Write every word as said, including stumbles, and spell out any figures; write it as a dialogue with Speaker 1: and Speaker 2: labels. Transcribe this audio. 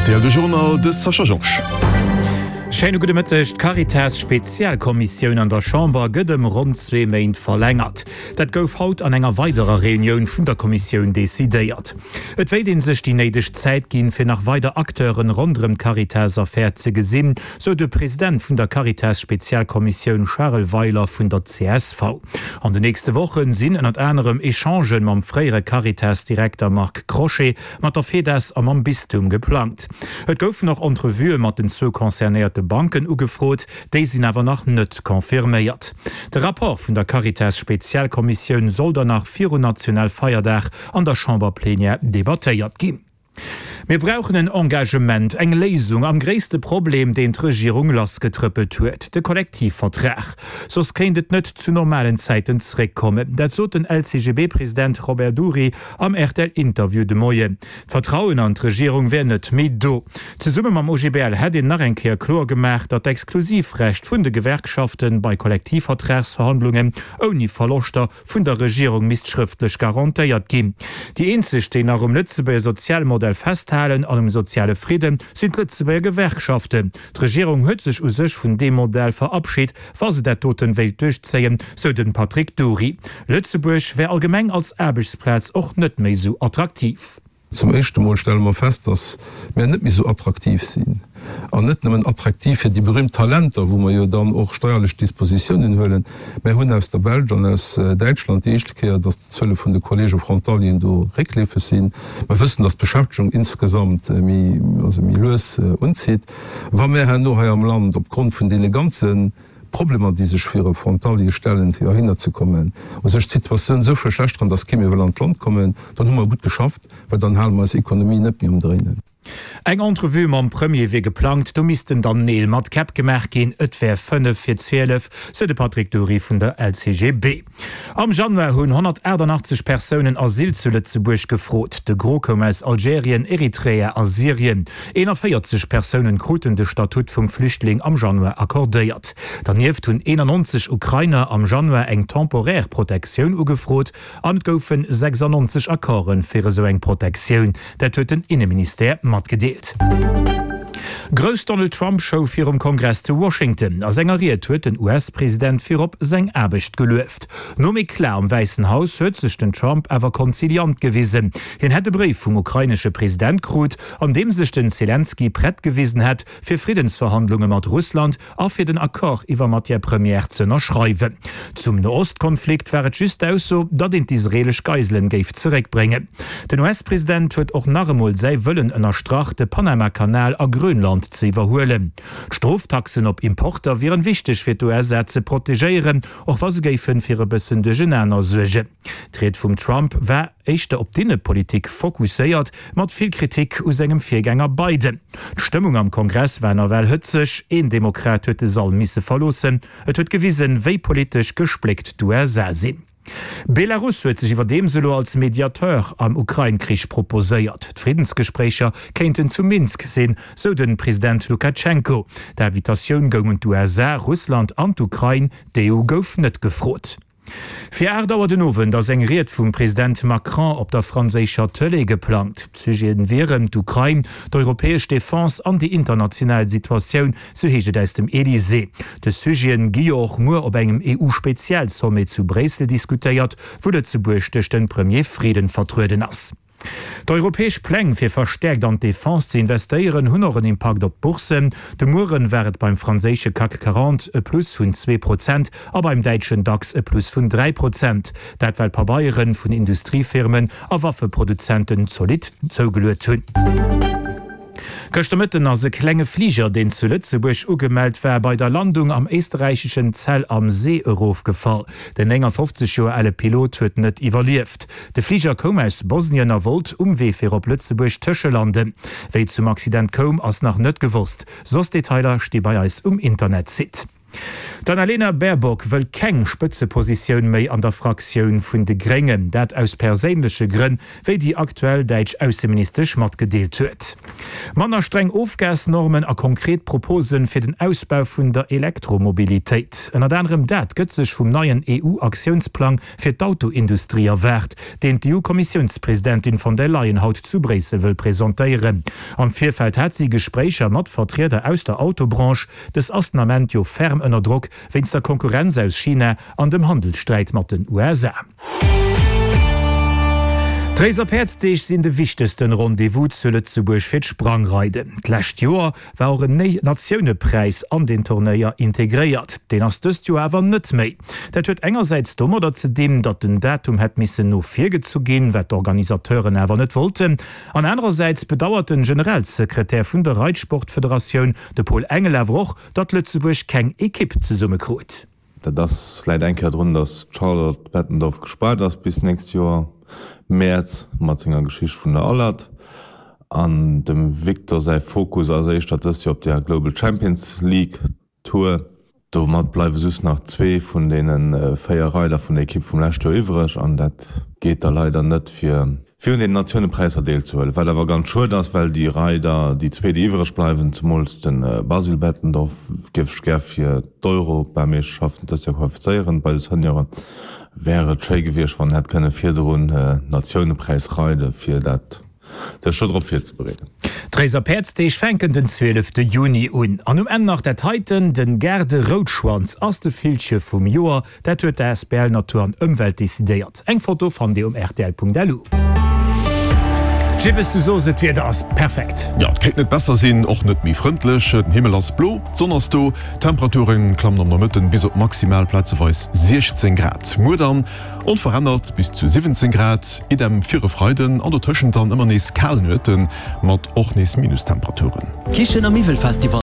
Speaker 1: R T L de Journal de Sascha Georges.
Speaker 2: Schéine gudde Mëtteg. D'Caritas-Spezialkommissioun an der Chamber gëtt ëm ronn zwee Méint verlängert. Dat gouf haut an enger weiderer Reunioun vun der Kommissioun decidéiert. Et wéilt ee sech déi néideg Zäit ginn, fir nach weider Acteuren ronderëm d'Caritas-Affär ze gesinn, sou de President vun der Caritas-Spezialkommissioun Charel Weiler vun der C S V. An de nächste Woche sinn ënnert anerem Echangen mam fréiere Caritas-Direkter Marc Crochet, mat der FEDAS a mam Bistum geplangt. Et goufen och Entrevuë mat den zwou concernéierte Banken ugefrot, déi sinn awer nach net confirméiert. De Rapport vun der Caritas-Spezialkommissioun soll dann nach virun Nationalfeierdag an der Chamberplenière debattéiert ginn. Mir brauchen en Engagement, eng Léisung am gréisste Problem, deen d'Regierung lassgetrëppelt huet, de Kollektivvertrag. Soss kéint et net zu normalen Zäiten zeréckkommen. Dat sot den L C G B-President Robert Dury am R T L-Interview de Moien. D'Vertrauen an d'Regierung wär net méi do. Zesumme mam O G B L hätt een nach eng Kéier kloer gemaach, datt d'Exklusivrecht vun de Gewerkschafte bei Kollektivvertragsverhandlungen ouni Verloschter vun der Regierung misst schrëftlech garantéiert ginn. Déi eenzeg, déi nach um Lëtzebuerger Sozialmodell festhalen an um soziale Fridden, sinn d'Lëtzebuerger Gewerkschaften. D'Regierung huet sech u sech vun deem Modell verabschit, wa se dat doten wéilt duerchzéien, sou de Patrick Dury. Lëtzebuerg wär allgemeng als Aarbechtsplaz och net méi sou attraktiv.
Speaker 3: Zum éischte Mol stelle mer fest, dass mir net méi sou attraktiv sinn. An net nëmmen attraktiv fir déi berühmt Talenter, wou mer jo dann och steierlech Dispositiounen huelen. Mir hunn aus der Belsch an aus Däitschland déi éischte Kéier, dass d'Zuele vun de Kollege Frontalieren do réckleefeg sinn. Mer wëssen, dass d'Beschäftegung insgesamt méi, also méi lues unzitt. Wa mir herno hei am Land opgrond vun deene ganze Problemer, déi sech fir e Frontalier stellen, fir heihinner ze kommen, u sech d'Situatioun esou verschlechteren, dass kee méi wëll an d'Land kommen, dann hu mer gutt geschafft, well dann hale mer eis Ekonomie net méi um Dréinen.
Speaker 2: Eng Entrevue mam Premier wier geplangt, do missten dann Neel mat Käpp gemaach ginn. Et wär fënnef vir zwielef, sou de Patrick Dury vun der L C G B. Am Januar hunn honnertaachtannachtzeg Persounen Asyl zu Lëtzebuerg gefrot. De Gros koum aus Algerien, Eritrea a Syrien. Eenanvéierzeg Persounen kruten de Statut vum Flüchtling am Januar accordéiert. Dernieft hunn eenannonzeg Ukrainer am Januar eng temporär Protektioun ugefrot an et goufe sechsannonzeg Accorde fir esou eng Protektioun. Dat huet den Inneministère matgedeelt. Grouss Donald Trump Show virum Kongress zu Washington. A senger Ried huet den U S-President virop seng Aarbecht gelueft. Nom Eclat am Wäissen Haus huet sech den Trump awer konziliant gewisen. Hien hätt e Bréif vum ukrainesche President krut, an deem sech den Selenskyj prett gewisen hätt, fir Friddensverhandlunge mat Russland a fir den Accord iwwer Matière première ze ënnerschreiwen. Zum Noost-Konflikt war et just d'Ausso, datt een d'israeelesch Geiselen géif zeréckbréngen. Den U S-President huet och nach emol säi Wëllen ënnerstrach, de Panama-Kanal a Grönland ze iwwerhuelen. D'Stroftaxen op Importer wieren wichteg fir d'U S A ze protegéieren, och wa se géifen fir e bëssen Duerchenaner suergen. D'Ried vum Trump war éischter op d'Innepolitik fokusséiert, mat vill Kritik u sengem Virgänger Biden. D'Stëmmung am Kongress war nawell hëtzeg, een Demokrat huet de Sall misse verloossen. Et huet gewisen, wéi politesch gespléckt d'U S A sinn. Belarus huet sech iwwerdeems elo als Mediateur am Ukrain-Krich proposéiert. D'Friddensgespréicher kéinten zu Minsk sinn, sou de President Lukatschenko. D'Invitatioun goung un d'U S A, Russland an d'Ukrain, d'E U gouf net gefrot. Fir aacht Auer den Owend ass eng Ried vum President Macron op der franséischer Tëlee geplangt. D'Sujeten wieren d'Ukrain, d'europäesch Defense an déi international Situatioun, sou heescht et aus dem Elysée. Dës Sujeten gi jo och muer op engem E U-Spezialsommet zu Bréissel diskutéiert, wou Lëtzebuerg duerch de Premier Frieden vertrueden ass. D'europäesch Pläng fir verstäerkt an d'Defense ze investéieren hunn och en Impakt op d'Bourssen. De Mueren war et beim franséische CAC quarante e Plus vun zwee Prozent a beim däitschen DAX e Plus vun dräi Prozent. Dat well Pabeiere vun Industriefirmen a Waffeproduzenten zolidd zougeluet hunn. Gëschter Mëtten ass e klenge Fliger, deen zu Lëtzebuerg ugemellt war, bei der Landung am éisterräicheschen Zell am See erofgefall. Den néngafofzeg Joer ale Pilot huet net iwwerlieft. De Fliger koum aus Bosnien a wollt um Wee fir op Lëtzebuerg tëschelanden. Wéi et zum Accident koum, ass nach net gewosst. Soss Detailer sti bei eis um Internetsite. D'Annalena Baerbock wëll keng Spëtzepositioun méi an der Fraktioun vun de Gréngen, dat aus perséinleche Grënn, wéi déi aktuell däitsch Ausseministesch matgedeelt huet. Manner streng Ofgasnormen a konkret Propose fir den Ausbau vun der Elektromobilitéit, ënnert anerem dat gëtt sech vum neien EU-Aktiounsplang fir d'Autoindustrie erwaart, deen d'EU-Kommissiounspresidentin von der Leyen haut zu Bréissel wëll presentéieren. Am Virfeld hat si Gespréicher mat Vertrieder aus der Autobranche. Dës ass den Ament jo ferm ënner Drock wéinst der Konkurrenz aus China an dem Handelssträit mat den U S A. D'Réiser Päerdsdeeg sinn de wichtegsten Rendez-vous zu Lëtzebuerg fir d'Sprangreiden. D'lescht Joer war och en Natiounepreis an den Turnéier integréiert. Deen ass dëst Joer awer net méi. Dat huet engersäits domadder ze dinn, datt den Datum hätt missen no vir gezu ginn, wat d'Organisateuren awer net wollten. An anerersäits bedauert den Generalsekretär vun der Reitsportfederatioun, de Paul Engel, awer och, datt Lëtzebuerg keng Ekipp zesummekrut.
Speaker 4: Dat ass läit eng Kéier drun, datt d'Charlotte Bettendorf gespaart ass bis nächst Joer Mäerz mat senger Geschicht vun der Alert. An dem Victor säi Fokus ass éischter dëst Joer op der Global Champions League Tour. Domat bleiwe just nach zwee vun deene véier Reider vun der Ekipp vum leschte Joer iwwreg an dat geet da leider net fir fir un den Natiounepräisser deelzehuelen. Wat awer ganz schued ass, well déi Reider, déi zwee, déi iwwreg bleiwen, zemools de Basile Bettendorf, géif ech gär fir d'Europameeschterschaften dëst Joer qualifizéieren bei de Senioren. Wär et schéi gewiescht, wann en hätt kënne virdrun Natiounepräis reide fir dat sech do drop virzebereeden.
Speaker 2: D'Réiser Päerdsdeeg fänken den zwielefte Juni un. An um Enn nach dat heiten, Den Gaarde Routschwanz ass de Villche vum Joer. Dat huet d'Asbl Natur an Ëmwelt decidéiert. Eng Foto fannt Dir um rtl.lu. Jippes, du sos et, d'Wieder ass perfekt.
Speaker 1: Jo, et kéint net besser sinn, och net méi frëndlech. Den Himmel ass blo, d'Sonn ass do, d'Temperature klammen am Nomëtten bis op maximal plazeweis siechzéng Grad. Muer dann onverännert bis zu siwwenzéng Grad, idem fir e Freiden an dotëschent dann ëmmer nees kal Nuete mat och nees Minustemperaturen.
Speaker 5: Kichen a Miwwelfestival.